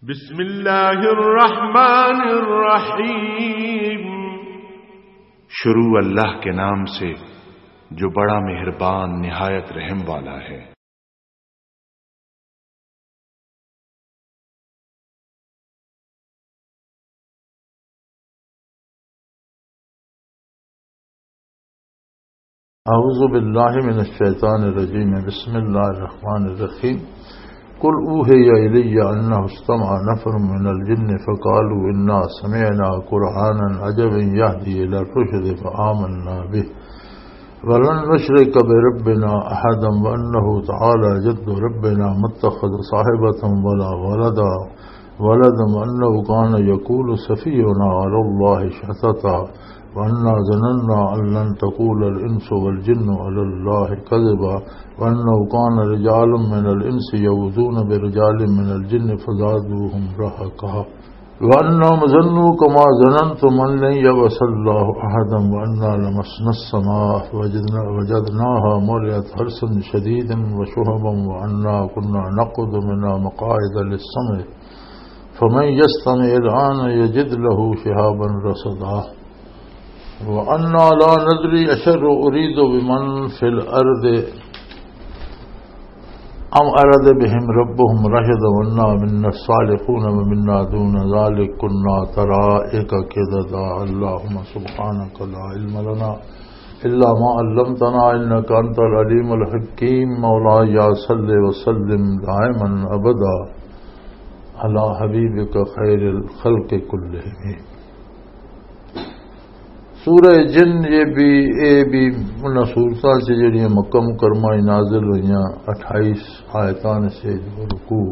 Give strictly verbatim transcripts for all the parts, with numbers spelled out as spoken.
بسم اللہ الرحمن الرحیم۔ شروع اللہ کے نام سے جو بڑا مہربان نہایت رحم والا ہے۔ اعوذ باللہ من الشیطان الرجیم، بسم اللہ الرحمن الرحیم۔ قل اوحی الی انہ استمع نفر من الجن فقالوا انا سمعنا قرآنا عجبا یہدی الی الرشد فآمنا به ولن نشرک بربنا احدا وانہ تعالی جد ربنا ما اتخذ صاحبة ولا ولدا ولدا وأنه كان يقول سفيهنا على الله شططا وأنا ظننا أن لن تقول الإنس والجن على الله كذبا وأنه كان رجال من الإنس يعوذون برجال من الجن فزادوهم رهقا وأنهم ظنوا كما ظننتم أن لن يبعث الله أحدا وأنا لمسنا السماء فوجدنا-، وجدناها ملئت حرسا شديدا وشهبا وأنا كنا نقعد منها مقاعد للسمع فمن يستمع الآن يجد له شهابا رصدا۔ وأنا لا ندري أشر أريد بمن في الأرض أم أراد بهم ربهم رشدا وأنا منا الصالحون ومنا دون ذلك كنا طرائق قددا۔ اللهم سبحانك لا علم لنا إلا ما علمتنا إنك أنت العليم الحكيم۔ مولاي صل وسلم دائما أبدا على حبيبك خير الخلق كلهم۔ سورہ جن، یہ بھی، اے بھی انہاں سورتاں سے جڑیاں مکہ مکرمہ وچ نازل ہوئیاں، اٹھائیس آیتاں سے رکوع۔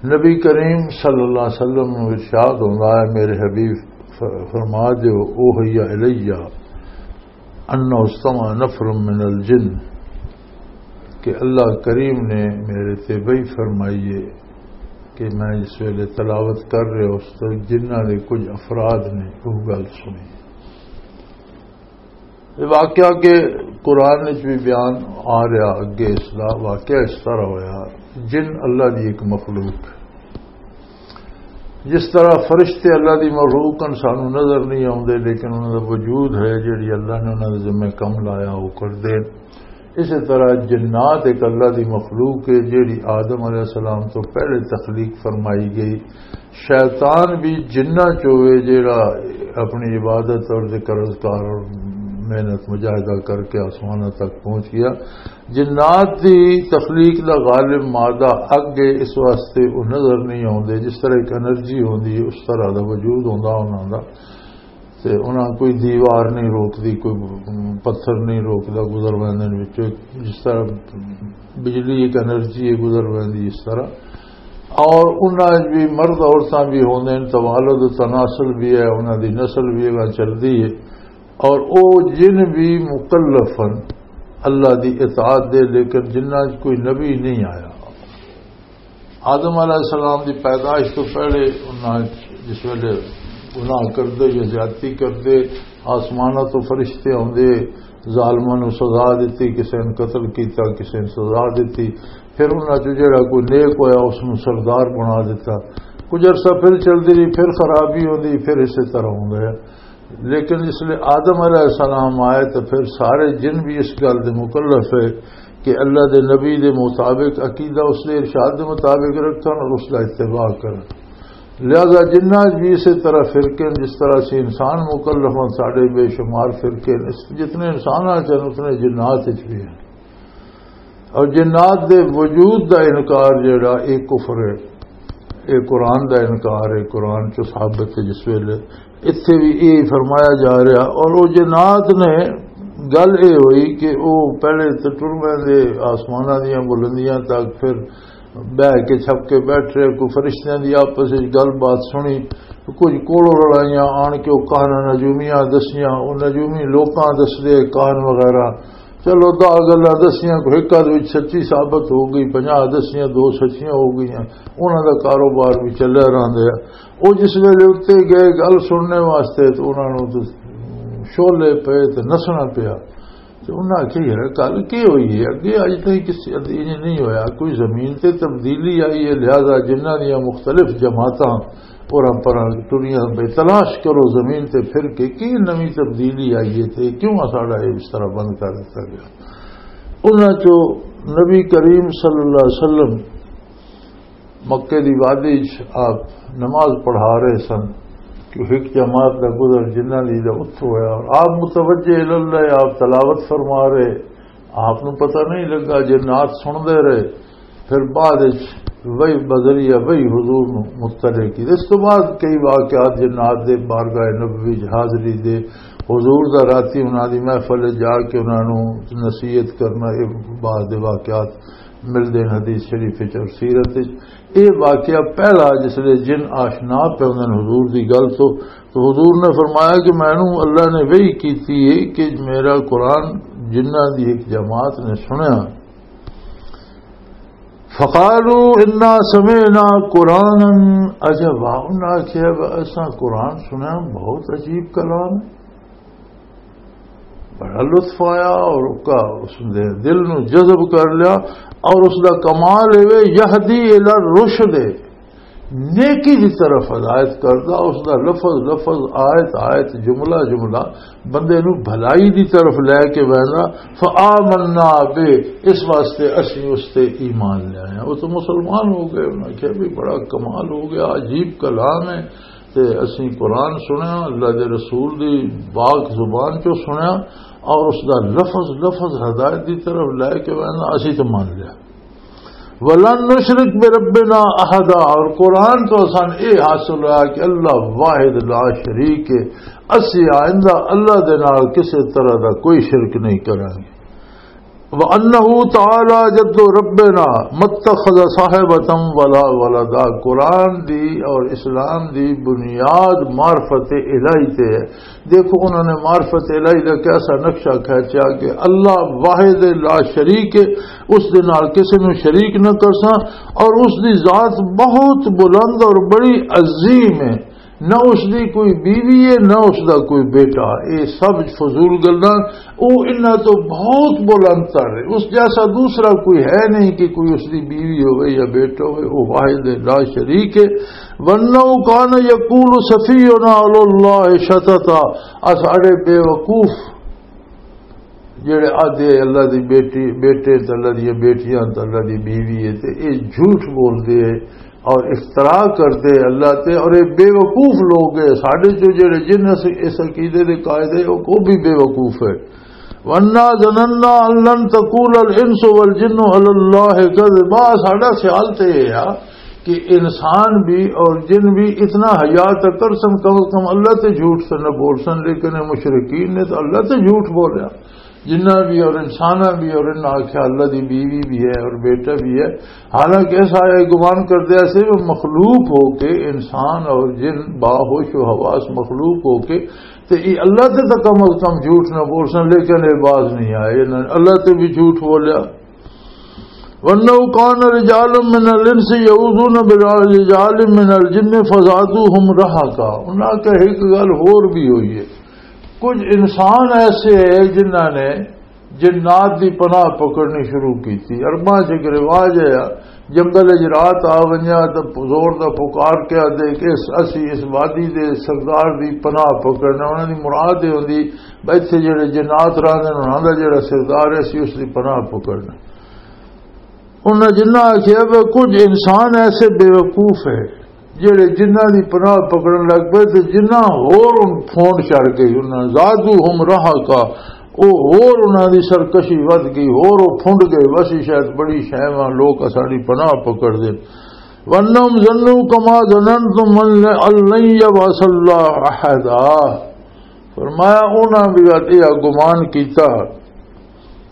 نبی کریم صلی اللہ علیہ وسلم نوں ارشاد ہوندا ہے، میرے حبیب، ف-، فرما دیو، اوحی الیہ انہ استمع نفر من الجن، کہ اللہ کریم نے میرے تے وحی فرمائی ہے کہ میں جس ویلے تلاوت کر رہا اس تو جنہاں دے کچھ افراد نے وہ گل سنی۔ یہ واقعہ کہ قرآن وچ بھی بیان آ رہا، اگے اس دا واقعہ اس طرح ہویا، جن اللہ دی ایک مخلوق، جس طرح فرشتے اللہ دی مخلوق ہن، سانو نظر نہیں آوندے، لیکن انہاں دا وجود ہے، جڑی اللہ نے انہاں دے ذمے کم لایا، وہ کردے۔ اسی طرح جنات ایک اللہ دی مخلوق ہے، جڑی آدم علیہ السلام تو پہلے تخلیق فرمائی گئی۔ شیطان بھی جنہ چوے، جڑا اپنی عبادت اور ذکر اذکار اور محنت مجاہدہ کر کے آسمانوں تک پہنچ گیا۔ جنات دی تخلیق دا غالب مادہ اگ ہے، اس واسطے وہ نظر نہیں آوندے۔ جس طرح ایک انرجی ہوندی ہے، اس طرح دا وجود ہوندا انہاں دا۔ تے انہاں کوئی دیوار نہیں روکدی، کوئی پتھر نہیں روکدا، گزر ویندے نے وچوں۔ جس طرح بجلی ایک انرجی ہے، گزر ویندی اس طرح۔ اور انہاں وچ بھی مرد عورتاں بھی ہوندے نے، توالد و تناسل بھی ہے، انہاں دی نسل بھی اگاں چلدی ہے۔ اور او جن بھی مکلف ہن اللہ دی اطاعت دے، لیکن جنہاں وچ کوئی نبی نہیں آیا۔ آدم علیہ السلام دی پیدائش تو پہلے انہاں وچ جس ویلے گناہ کردے یا زیادتی کردے، آسماناں تو فرشتے آوندے، ظالماں نوں سزا دتی، کسے نے قتل کیتا، کسے نے سزا دتی۔ پھر انہاں چوں جڑا کوئی نیک ہویا، اس نوں سردار بنا دتا۔ کچھ عرصہ پھر چلدی رہی، پھر خرابی ہوندی، پھر اسی طرح ہوندا ہے۔ لیکن جس لئے آدم علیہ السلام آئے تو پھر سارے جن بھی اس گل دے مکلف ہے کہ اللہ دے نبی دے مطابق، عقیدہ اس دے ارشاد دے مطابق رکھن اور اس دا اتباع کرن۔ لہذا جنات بھی اسی طرح فرقے ہیں، جس طرح سے انسان مکلف ہیں، ساڈے بے شمار فرقے ہیں، اس، جتنے انسان ہیں اتنے جنات وچ بھی ہیں۔ اور جنات دے وجود دا انکار جڑا، اے کفر ہے، اے قرآن دا انکار ہے، قرآن چ ثابت ہے۔ جس ویلے اتھے بھی اے فرمایا جا رہا، اور او جنات نے گل اے ہوئی کہ او پہلے تے ٹر ویندے آسماناں دیاں بلندیاں تک، پھر بہ کے چھپ کے بیٹھ رہے، کوئی فرشتیاں دی آپس وچ گل بات سنی، کچھ کولوں لڑائیاں آن کے او کہاناں نجومیاں دسیاں، او نجومی لوکاں دسدے کہان وغیرہ۔ چلو، دہ گلاں دسیاں، کوئی ایک آدھ وچ سچی ثابت ہو گئی، پنجاہ دسیاں، دو سچیاں ہو گئیاں، انہاں دا کاروبار بھی چلیا رہندا ہے۔ او جس ویلے اُتے گئے گل سننے واسطے، تے انہاں نوں تے شعلے پئے تے نسنا پیا۔ تے انہاں آکھیا، "یار، گل کی ہوئی ہے؟ اگے اج تائیں کسی ادی نہیں ہویا، کوئی زمین تے تبدیلی آئی ہے، لہذا جنہاں دیاں مختلف جماعتاں اوراں پراں ٹریاں پہ، تلاش کرو زمین تے پھر کے کی نویں تبدیلی آئی ہے تے کیوں ساڈا یہ اس طرح بند کر دتا گیا؟" انہاں چوں نبی کریم صلی اللہ علیہ وسلم مکے دی وادی چ آپ نماز پڑھا رہے سن کہ ایک جماعت دا گزر جنہاں دی دا اتھوں ہویا اور آپ متوجہ اللہ، آپ تلاوت فرما رہے، آپ نوں پتہ نہیں لگا، جنات سن دے رہے۔ پھر بعد وچ وہی بذریعہ وہی حضور نوں مطلع کی۔ اس تو بعد کئی واقعات جنات دے بارگاہ نبوی وچ حاضری دے، حضور دا راتی انہاں دی محفل وچ جا کے انہاں نوں نصیحت کرنا، یہ بعد دے واقعات ملدے ہیں حدیث شریف وچ اور سیرت وچ۔ یہ واقعہ پہلا جس لے جن آشنا پہ ہوندے نے حضور دی گل تو، تو حضور نے فرمایا کہ مینوں اللہ نے وحی کیتی ہے کہ میرا قرآن جنہاں دی ایک جماعت نے سنیا، فقالوا انا سمعنا قرآنا عجبا، انہاں آکھیا، "اساں قرآن سنیا، بہت عجیب کلام ہے۔" بڑا لطف آیا اور اس کا، اس نے دل نو جذب کر لیا۔ اور اس دا کمال ہے یہدی الی الرشد، نیکی دی طرف ہدایت کردا، اس دا لفظ لفظ، آیت آیت، جملہ جملہ بندے نو بھلائی دی طرف لے کے ویندا۔ فآمنا بہ، اس واسطے اسی اس تے ایمان لے آئے ہیں۔ وہ تو مسلمان ہو گئے، انہاں کہا، "بھی بڑا کمال ہو گیا، عجیب کلام ہے۔" تے اسی قرآن سنیا، اللہ دے رسول دی پاک زبان چوں سنیا، اور اس دا لفظ لفظ ہدایت دی طرف لے کے وینا، اسی تے مان لیا۔ "ولن نشرک بربنا احدا"، اور قرآن تو اسان اے حاصل ہوا کہ اللہ واحد لا شریک ہے، اسی آئندہ اللہ دے نال کسے طرح دا کوئی شرک نہیں کریں گے۔ وَأَنَّهُ تَعَالَى جَدُّ رَبِّنَا مَا اتَّخَذَ صَاحِبَةً وَلَا وَلَدًا۔ قرآن دی اور اسلام دی بنیاد معرفت الہی تے ہے۔ دیکھو، انہوں نے معرفت الہی دا کیسا نقشہ کھینچا کہ اللہ واحد لا شریک ہے، اس دے نال کسے نوں شریک نہ کرساں، اور اس دی ذات بہت بلند اور بڑی عظیم ہے۔ نہ اس دی کوئی بیوی ہے، نہ اس دا کوئی بیٹا۔ اے سب فضول گلاں، او انہاں تو بہت بلند تر ہے۔ اس جیسا دوسرا کوئی ہے نہیں کہ کوئی اس دی بیوی ہوئے یا بیٹا ہوئے۔ او واحد ہے، لا شریک ہے۔ وَأَنَّهُ كَانَ يَقُولُ سَفِيهُنَا عَلَى اللَّهِ شَطَطًا۔ آ ساڈے بے وقوف جڑے آدھے اللہ دی بیٹی، بیٹے تے اللہ دی بیٹیاں تے اللہ دی بیوی ہے، تے اے جھوٹ بول دے اور افترا کر دے اللہ تے، اور اے بے وقوف لوگ ہے۔ ساڈے جو جڑے جن اس، اس عقیدے دے قائد ہے، وہ، وہ بھی بے وقوف ہے۔ وَأَنَّا ظَنَنَّا أَن لَّن تَقُولَ الْإِنسُ وَالْجِنُّ عَلَى اللَّهِ كَذِبًا۔ ساڈا خیال تے یہ ہے کہ انسان بھی اور جن بھی اتنا حیا تک کر سن، کم از کم اللہ تے جھوٹ تے نہ بول سن، لیکن اے مشرکین نے تو اللہ تے جھوٹ بولیا۔ جنہ بھی اور انسانہ بھی اور انہاں آکھیا اللہ دی بیوی بھی ہے اور بیٹا بھی ہے۔ حالانکہ ایسا یہ گمان کردے ایسے وہ مخلوق ہو کے، انسان اور جن باہوش و حواس مخلوق ہو کے، تے یہ اللہ تے تو کم از کم جھوٹ نہ بول سن، لیکن یہ باز نہیں آئے، انہاں نے اللہ تے بھی جھوٹ بولیا۔ وَأَنَّهُ كَانَ رِجَالٌ مِّنَ الْإِنسِ يَعُوذُونَ بِرِجَالٍ مِّنَ الْجِنِّ فَزَادُوهُمْ رَهَقًا۔ انہاں کہ ایک گل ہور بھی ہوئی ہے، کچھ انسان ایسے ہیں جنہاں نے جنات دی پناہ پکڑنی شروع کی تھی۔ عرباں چ ایک رواج ہے، جنگل وچ رات آ ونجا تے زور دا پکار کے آدھے کہ اس، اسی اس وادی دے سردار دی پناہ پکڑنا۔ انہاں دی مراد یہ ہوندی بھئی اتھے جڑے جنات رہندے نے، انہاں دا جڑا سردار ہے، اسی اس دی پناہ پکڑنا۔ انہاں جنہاں آکھیا کہ کچھ انسان ایسے بے وقوف ہے جڑے جنہاں دی پناہ پکڑن لگ پئے تے جنہاں ہور ان پھونڈ چڑھ گئی، انہاں زادوہم رہقا، او ہور انہاں دی سرکشی ودھ گئی، ہور او پھنڈ گئے، بس یہ شاید بڑی شے واں لوگ اساڈی پناہ پکڑ دے۔ وَأَنَّهُمْ ظَنُّوا كَمَا ظَنَنْتُمْ أَن لَّن يَبْعَثَ اللَّهُ أَحَدًا۔ فرمایا، انہاں بھی یہ گمان کیتا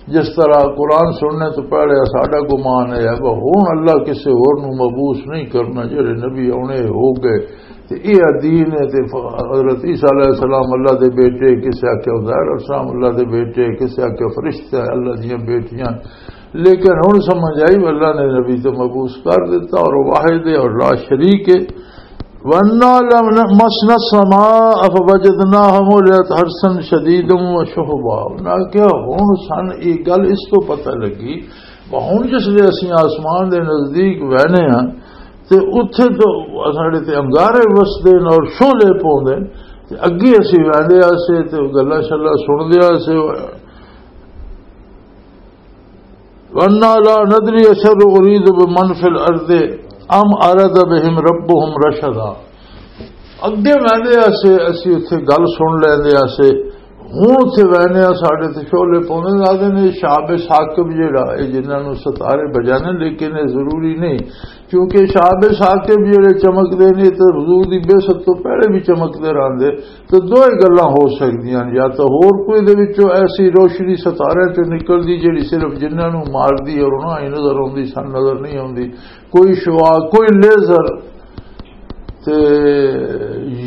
جس طرح قرآن سننے تو پہلے ساڈا گمان ہے، وہ ہن اللہ کسے ہور نوں مبعوث نہیں کرنا، جڑے نبی آنے ہو گئے۔ تے یہ دین ہے، تے ف-، حضرت عیسیٰ علیہ السلام اللہ دے بیٹے، کسے آکھیا عزیر السلام اللہ دے بیٹے، کسے آکھیا فرشتہ ہے اللہ دیاں بیٹیاں۔ لیکن ہن سمجھ آئی، اللہ نے نبی تو مبعوث کر دیتا اور واحد ہے اور لا شریک ہے۔ وَأَنَّا لَمَسْنَا السَّمَاءَ فَوَجَدْنَاهَا مُلِئَتْ حَرَسًا شَدِيدًا وَشُهُبًا۔ انہاں کہیا، ہن سن یہ گل اس تو پتہ لگی، ہن جس لے اسی آسمان دے نزدیک وہنے ہاں، تے اتھے تو ساڈے تے انگارے وسدے نے اور شعلے پوندے نے، تے اگے اسی وہندے آسے تے گلاں شلاں سندے آسے۔ وَأَنَّا لَا نَدْرِي أَشَرٌّ أُرِيدُ بِمَنْ فِي الْأَرْضِ أَمْ أَرَادَ بِهِمْ رَبُّهُمْ رَشَدًا۔ اگے ویندے آسے، اسی اتھے گل سن لیندے آسے۔ ہن اتھے ویندے آ، ساڈے تے شعلے پوندے۔ آدھے نے شہاب ثاقب جیڑا، اے جنہاں نوں ستارے بجانے، لیکن اے ضروری نہیں، کیونکہ شہاب ثاقب جیڑے چمکدے نے، تے حضور دی بعثت تو پہلے بھی چمکدے رہندے۔ تے دوئے گلاں ہو سکدیاں نے، یا تاں ہور کوئی دے وچوں ایسی روشنی ستاریاں چوں نکلدی جیڑی صرف جنہاں نوں ماردی اور انہاں ہی نظر آندی، سن نظر نہیں آندی، کوئی شعاع، کوئی لیزر، تے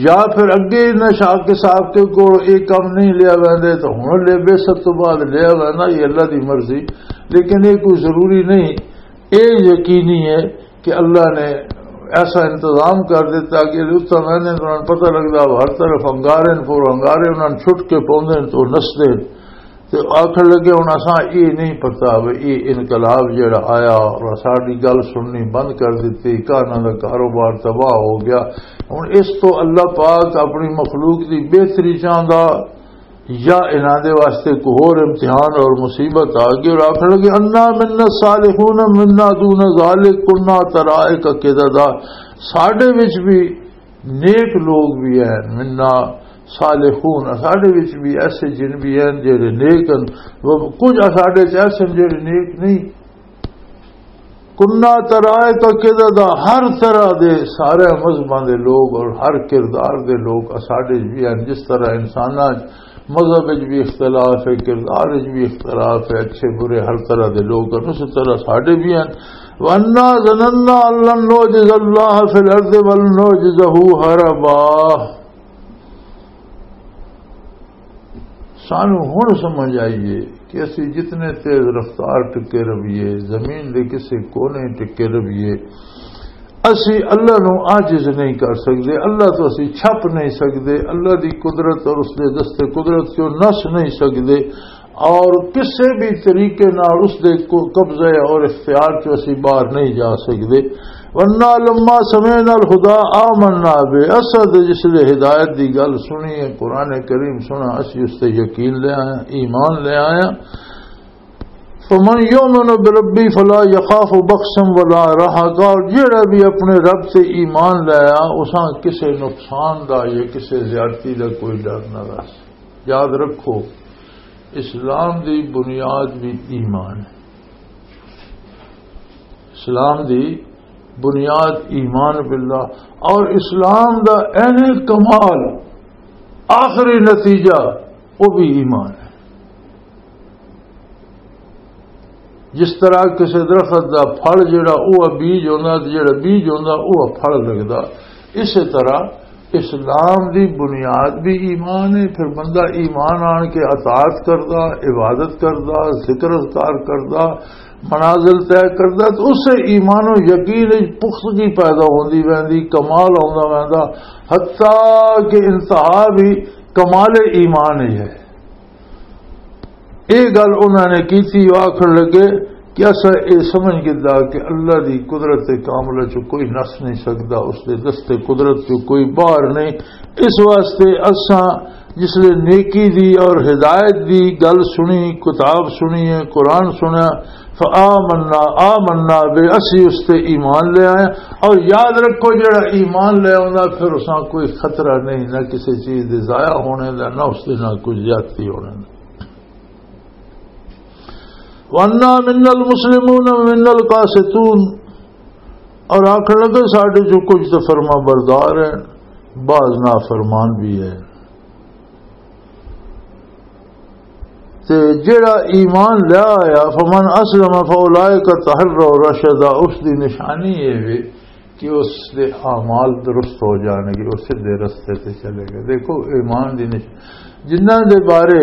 یا پھر اگے انہاں شاہ کے صاحب کے کول یہ کم نہیں لیا ویندے، تو ہن لے بے سب تو بعد لیا وینا، یہ اللہ دی مرضی، لیکن یہ کوئی ضروری نہیں۔ یہ یقینی ہے کہ اللہ نے ایسا انتظام کر دیتا کہ اتنا مہینے دوران پتہ لگدا، ہر طرف انگارے نے، پور انگارے انہاں نوں چھٹ کے پوندے نے تو نسدے نے۔ تے آکھن لگے، ہن اساں یہ نہیں پتا بھی یہ انقلاب جڑا آیا اور ساڈی گل سننی بند کر دتی، کاناں دا کاروبار تباہ ہو گیا۔ ہن اس تو اللہ پاک اپنی مخلوق دی بہتری چاہندا یا انہاں دے واسطے کوئی ہور امتحان اور مصیبت آ گئی؟ اور آکھن لگے، انا منا الصالحون منا دون ذالک کنا طرائق قددا، ساڈے وچ بھی نیک لوگ بھی ہیں، منا صالحون، ساڈے وچ بھی ایسے جن بھی ہیں جڑے نیک ہیں، وہ کچھ ساڈے چ ایسے ہیں جڑے نیک نہیں۔ کنا طرائق قددا، ہر طرح دے سارے مذہباں دے لوگ اور ہر کردار دے لوگ ساڈے وچ بھی ہیں۔ جس طرح انساناں وچ مذہب وچ بھی اختلاف ہے، کردار وچ بھی اختلاف ہے، اچھے برے ہر طرح دے لوگ ہیں، اسی طرح ساڈے بھی ہیں۔ وَأَنَّا ظَنَنَّا أَن لَّن نُّعْجِزَ اللَّهَ فِي الْأَرْضِ وَلَن نُّعْجِزَهُ هَرَبًا۔ سانو ہن سمجھ آئی ہے کہ اسی جتنے تیز رفتار ٹکے رہیے، زمین دے کسے کونے ٹکے رہیے، اسی اللہ نو عاجز نہیں کر سکدے، اللہ تو اسی چھپ نہیں سکدے، اللہ دی قدرت اور اس دے دست قدرت چوں نس نہیں سکدے، اور کسے بھی طریقے نال اس دے کو-، قبضے اور اختیار چوں اسی باہر نہیں جا سکدے۔ وَأَنَّا لَمَّا سَمِعْنَا الْهُدَىٰ آمَنَّا بِهِ، اساں تے جس لے ہدایت دی گل سنی ہے، قرآن کریم سنا، اسی اس تے یقین لے آئے، ایمان لے آئے۔ فَمَن يُؤْمِنْ بِرَبِّهِ فَلَا يَخَافُ بَخْسًا وَلَا رَهَقًا، اور جیڑا بھی اپنے رب تے ایمان لایا، اساں کسے نقصان دا یا کسے زیادتی دا کوئی ڈر نہ رہا۔ یاد رکھو، اسلام دی بنیاد بھی ایمان ہے۔ اسلام دی بنیاد ایمان باللہ، اور اسلام دا عین کمال، آخری نتیجہ، وہ بھی ایمان ہے۔ جس طرح کسی درخت دا پھل جڑا، وہ بیج ہوندا، تے جڑا بیج ہوندا، وہ پھل لگدا، اسی طرح اسلام دی بنیاد بھی ایمان ہے۔ پھر بندہ ایمان آن کے اطاعت کردا، عبادت کردا، ذکر اذکار کردا، منازل طے کردا، تو اس سے ایمان و یقین وچ پختگی پیدا ہوندی ویندی، کمال آوندا ویندا، حتیٰ کہ انتہا بھی کمال ایمان ہی ہے۔ یہ گل انہوں نے کی تھی، وہ آخر لگے کہ اسا یہ سمجھ گدا کہ اللہ دی قدرت کاملہ چ کوئی نس نہیں سکدا، اس دے دست قدرت چ کوئی باہر نہیں۔ اس واسطے اسا جس لے نیکی دی اور ہدایت دی گل سنی، کتاب سنی ہے، قرآن سنیا، فآمنا، آمنا بے، اسی اس تے ایمان لے آئے۔ اور یاد رکھو، جڑا ایمان لے آوندا، پھر اساں کوئی خطرہ نہیں، نہ کسی چیز دے ضائع ہونے دا، نہ اس دے، نہ کوئی زیادتی ہونے دا۔ وَأَنَّا مِنَّا الْمُسْلِمُونَ وَمِنَّا الْقَاسِطُونَ، اور آخر لگے، ساڈے جو کچھ تو فرما بردار ہیں، بعض نافرمان بھی ہیں۔ تے جڑا ایمان لے آیا، فَمَنْ أَسْلَمَ فَأُولَٰئِكَ تَحَرَّوْا رَشَدًا، اس دی نشانی یہ وے کہ اس دے اعمال درست ہو جان گے، وہ سیدھے رستے تے چلے گئے۔ دیکھو، ایمان دی نش-، جنہاں دے بارے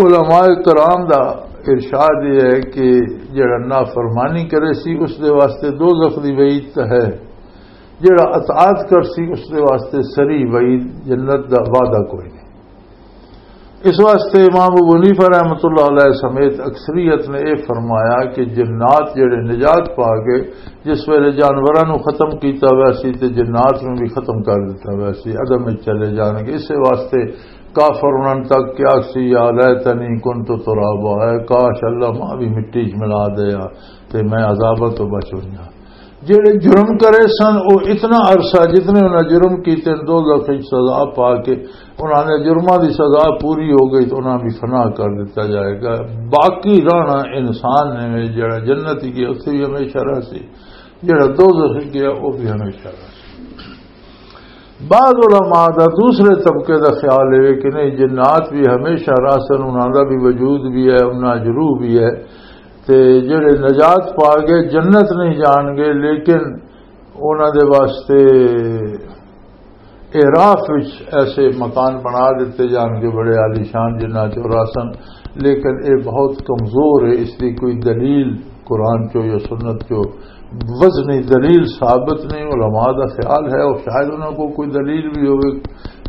علماء کرام دا ارشاد یہ ہے کہ جڑا نافرمانی کرے سی، اس دے واسطے دوزخ دی وعید تاں ہے، جڑا اطاعت کرسی، اس دے واسطے سری وعید، جنت دا وعدہ کوئی نہیں۔ اس واسطے امام ابو حنیفہ رحمۃ اللہ علیہ سمیت اکثریت نے یہ فرمایا کہ جنات جڑے نجات پا گئے، جس ویلے جانوراں نوں ختم کیتا ہوا سی تے جنات نوں بھی ختم کر دتا ہوا سی، عدم وچ چلے جان گے۔ اس واسطے کافر انہاں تک کیا سی، "یا لیتنی کنت ترابا"، اے کاش اللہ ماں بھی مٹی چ ملا دیا تے میں عذاباں تو بچ ہویا۔ جڑے جرم کرے سن، وہ اتنا عرصہ جتنے انہاں جرم کیتے، دوزخ وچ سزا پا کے انہاں نے جرماں دی سزا پوری ہو گئی تو انہاں بھی فنا کر دتا جائے گا۔ باقی رہنا انسان نے، جڑا جنت گیا اتھے بھی ہمیشہ رہ سی، جڑا دوزخ گیا وہ بھی ہمیشہ رہ سی۔ بعض علماء دا دوسرے طبقے دا خیال ہے کہ نہیں، جنات بھی ہمیشہ رہ سن، انہاں دا بھی وجود بھی ہے، انہاں جروح بھی ہے، تے جڑے نجات پا گئے جنت نہیں جان گے، لیکن انہاں دے واسطے اعراف وچ ایسے مکان بنا دیتے جان گے بڑے عالیشان، جنہاں چ رہ سن، لیکن اے بہت کمزور ہے، اس دی کوئی دلیل قرآن چو یا سنت چو وزنی دلیل ثابت نہیں۔ علماء دا خیال ہے، اور شاید انہاں کو کوئی دلیل بھی ہوئے،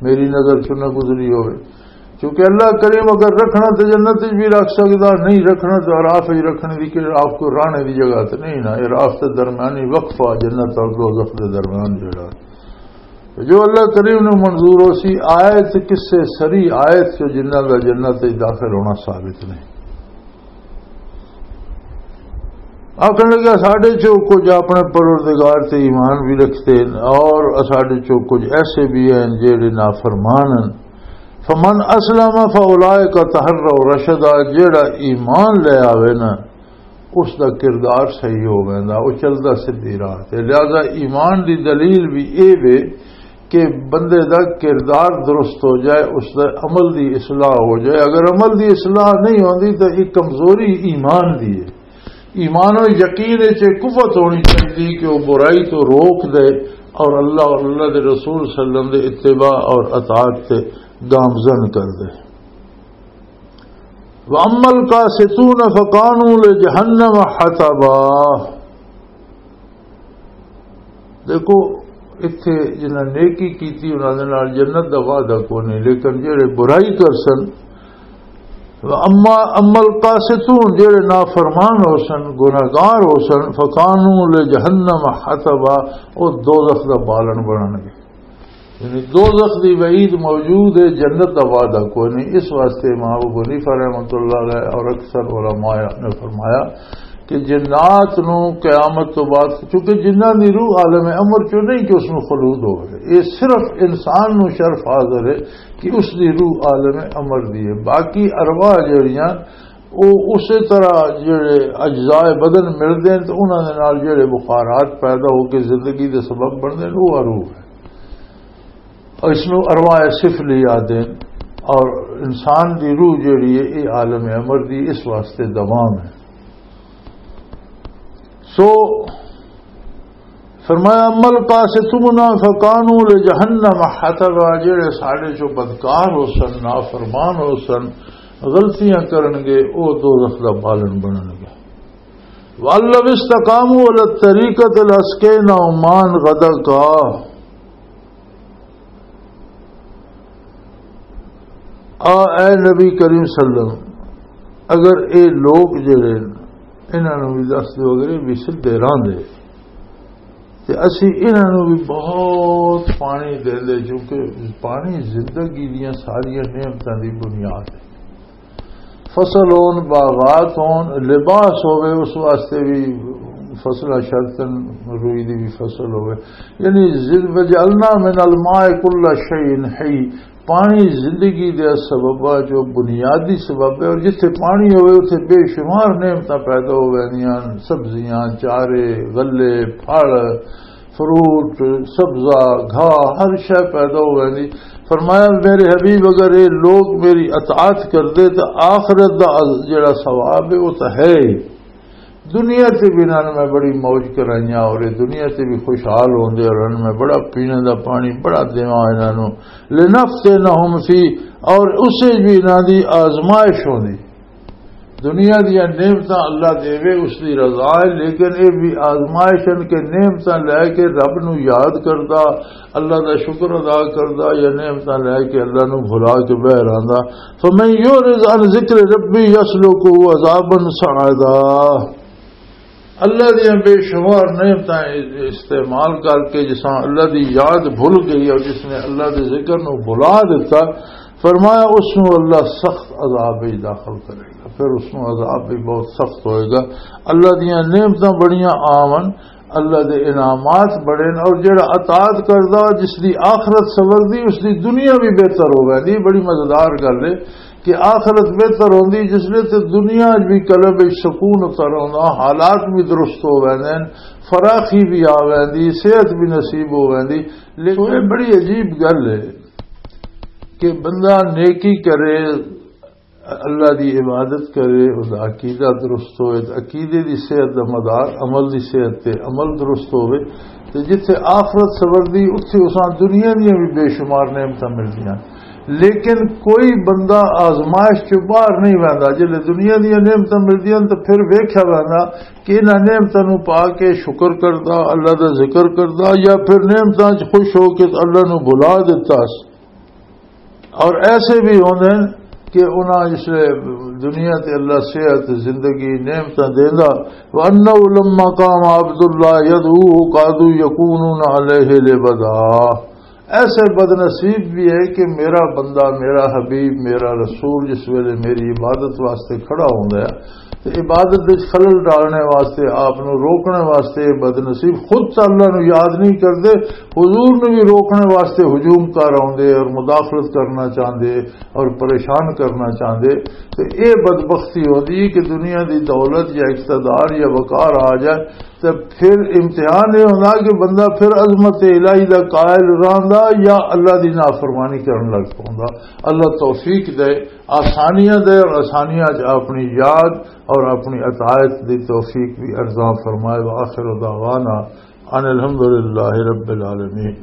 میری نظر چ نہ گزری ہوئے۔ کیونکہ اللہ کریم اگر رکھنا تو جنت وچ بھی رکھ سکدا، نہیں رکھنا تو اعراف وچ رکھنے دی، کہ اعراف کو رانے دی جگہ تے نہیں نا، اعراف تے درمیانی وقفہ جنت اور دوزخ دے درمیان جڑا۔ تو جو اللہ کریم نو منظور ہو سی، آیت کسے سری آیت چو جنہ دا جنت وچ داخل ہونا ثابت نہیں۔ آخر لگا، ساڈے چو کچھ اپنے پروردگار تے ایمان بھی رکھتے ہیں، اور ساڈے چو کچھ ایسے بھی ہیں جڑے نافرمان ہیں۔ فمن اسلم فاولئک تحروا رشدا، جڑا ایمان لے آوے نا، اس دا کردار صحیح ہو ویندا، او چلدا سدھی راہ تے۔ لہذا ایمان دی دلیل بھی اے وے کہ بندے دا کردار درست ہو جائے، اس دا عمل دی اصلاح ہو جائے۔ اگر عمل دی اصلاح نہیں ہوندی تو ایک کمزوری ایمان دی ہے۔ ایمان و یقین وچ ایک قوت ہونی چاہیے کہ وہ برائی تو روک دے اور اللہ اور اللہ دے رسول صلی اللہ علیہ وسلم دے اتباع اور اطاعت تے گامزن کر دے۔ وَأَمَّا الْقَاسِطُونَ فَكَانُوا لِجَهَنَّمَ حَطَبًا۔ دیکھو، اتھے جنہاں نیکی کیتی، انہاں دے نال جنت دا وعدہ کوئی نہیں، لیکن جڑے برائی کر سن، وَأَمَّا، أَمَّا الْقَاسِطُونَ، جڑے نافرمان ہو سن، گناہگار ہو سن، فَكَانُوا لِجَهَنَّمَ حَطَبًا، او دوزخ دا بالن بنن گے۔ یعنی دوزخ دی وعید موجود ہے، جنت دا وعدہ کوئی نہیں۔ اس واسطے امام ابو حنیفہ رحمۃ اللہ علیہ اور اکثر علماء نے فرمایا کہ جنات نو قیامت تو بعد، چونکہ جنہاں دی روح عالم امر چوں نہیں کہ اس نو خلود ہوئے، یہ صرف انسان نو شرف حاضر ہے کہ اس دی روح عالم امر دی ہے۔ باقی ارواح جڑیاں، وہ اسی طرح جڑے اجزاء بدن ملدے ہیں تو انہاں دے نال جڑے بخارات پیدا ہو کے زندگی دے سبب بندے ہیں، وہ روح ہے۔ اور اس نو ارواح سفلی آدھے ہیں۔ اور انسان دی روح جڑی ہے، یہ عالم امر دی اس واسطے دوام ہے۔ سو فرمایا، "اما القاسطون فکانوا لجہنم حطبا"، جڑے ساڈے چوں بدکار ہو سن، نافرمان ہو سن، غلطیاں کرن گے، او دوزخ دا بالن بنن گے۔ "وَأَن لَّوِ اسْتَقَامُوا عَلَى الطَّرِيقَةِ لَأَسْقَيْنَاهُم مَّاءً غَدَقًا"، آ اے نبی کریم صلی اللہ علیہ وسلم، اگر اے لوگ جڑے انہاں نوں بھی دس دیو، اگر اے بھی سدھے راہ دے، تے اسی انہاں نوں بھی بہت پانی دے دے، کیونکہ پانی زندگی دیاں ساریاں نعمتاں دی بنیاد ہے۔ فصل ہون، باغات ہون، لباس ہوے، اس واسطے بھی فصلہ شرطن، روئی دی بھی فصل ہوے۔ یعنی زن-، "وجعلنا من الماء كل شيء حي"، پانی زندگی دے سبب آ، جو بنیادی سبب ہے، اور جتھے پانی ہوے، اتھے بے شمار نعمتاں پیدا ہو ویندیاں، سبزیاں، چارے، غلے، پھل، فروٹ، سبزہ، گھا، ہر شے پیدا ہو ویندی۔ فرمایا، میرے حبیب، اگر یہ لوگ میری اطاعت کر دے تو آخرت دا جڑا ثواب ہے، وہ تو ہے ہی۔ دنیا تے بھی انہاں نوں میں بڑی موج کرائیاں، اور یہ دنیا تے بھی خوشحال ہوندے، اور انہاں نوں میں بڑا پینے دا پانی بڑا دیواں انہاں نوں۔ لنفتنہم فی، اور اسے بھی انہاں دی آزمائش ہوندی۔ دنیا دیاں نعمتاں اللہ دیوے، اس دی رضا ہے، لیکن اے بھی آزمائش ہے کہ نعمتاں لے کے رب نو یاد کردا، اللہ دا شکر ادا کردا، یا نعمتاں لے کے اللہ نو بھلا کے بہ رہندا۔ فمن یعرض عن ذکر ربی یسلکہ عذابا صعدا۔ اللہ دیاں بے شمار نعمتاں استعمال کر کے جساں اللہ دی یاد بھول گئی اور جس نے اللہ دے ذکر نو بھلا دیتا، فرمایا اس نو اللہ سخت عذاب وچ داخل کرے گا، پھر اس نو عذاب بھی بہت سخت ہوئے گا۔ اللہ دیاں نعمتاں بڑیاں عام ہن، اللہ دے انعامات بڑے نے، اور جڑا اطاعت کردا جس دی آخرت سوردی، اس دی دنیا بھی بہتر ہو ویندی۔ بڑی مزیدار گل ہے کہ آخرت بہتر ہوندی جس لے تے دنیا وچ بھی قلب وچ سکون اتر آوندا، حالات بھی درست ہو ویندے نے، فراخی بھی آ ویندی، صحت بھی نصیب ہو ویندی۔ لیکن یہ بڑی عجیب گل ہے کہ بندہ نیکی کرے، اللہ دی عبادت کرے، اس دا عقیدہ درست ہوئے، تے عقیدے دی صحت دا مدار عمل دی صحت تے عمل درست ہوئے، تے جتھے آخرت سوردی، اتھے اساں دنیا دیاں بھی بے شمار نعمتاں ملدیاں۔ لیکن کوئی بندہ آزمائش چوں باہر نہیں ویندا۔ جلے دنیا دیاں نعمتاں ملدیاں تے پھر ویکھیا ویندا کہ انہاں نعمتاں نوں پا کے شکر کردا، اللہ دا ذکر کردا، یا پھر نعمتاں چ خوش ہو کے اللہ نوں بھلا دیتا۔ اور ایسے بھی ہوندے ہیں کہ انہاں اس دنیا تے اللہ صحت، زندگی، نعمتاں دیندا۔ وَأَنَّهُ لَمَّا قَامَ عَبْدُ اللَّهِ يَدْعُوهُ كَادُوا يَكُونُونَ عَلَيْهِ لِبَدًا۔ ایسے بد نصیب بھی ہے کہ میرا بندہ، میرا حبیب، میرا رسول جس ویلے میری عبادت واسطے کھڑا ہوندا ہے، تے عبادت وچ خلل ڈالنے واسطے، آپ نو روکنے واسطے، بد نصیب خود تے اللہ نو یاد نہیں کردے، حضور نو بھی روکنے واسطے ہجوم کر آوندے اور مداخلت کرنا چاہندے اور پریشان کرنا چاہندے۔ تے اے بدبختی ہوندی کہ دنیا دی دولت یا اقتدار یا وقار آ جائے، تے پھر امتحان یہ ہوندا کہ بندہ پھر عظمت الہی دا قائل رہندا یا اللہ دی نافرمانی کرن لگ پوندا۔ اللہ توفیق دے، آسانیاں دے، اور آسانیاں چ اپنی یاد اور اپنی اطاعت دی توفیق بھی ارزاں فرمائے۔ وآخر دعوانا ان الحمدللہ رب العالمین۔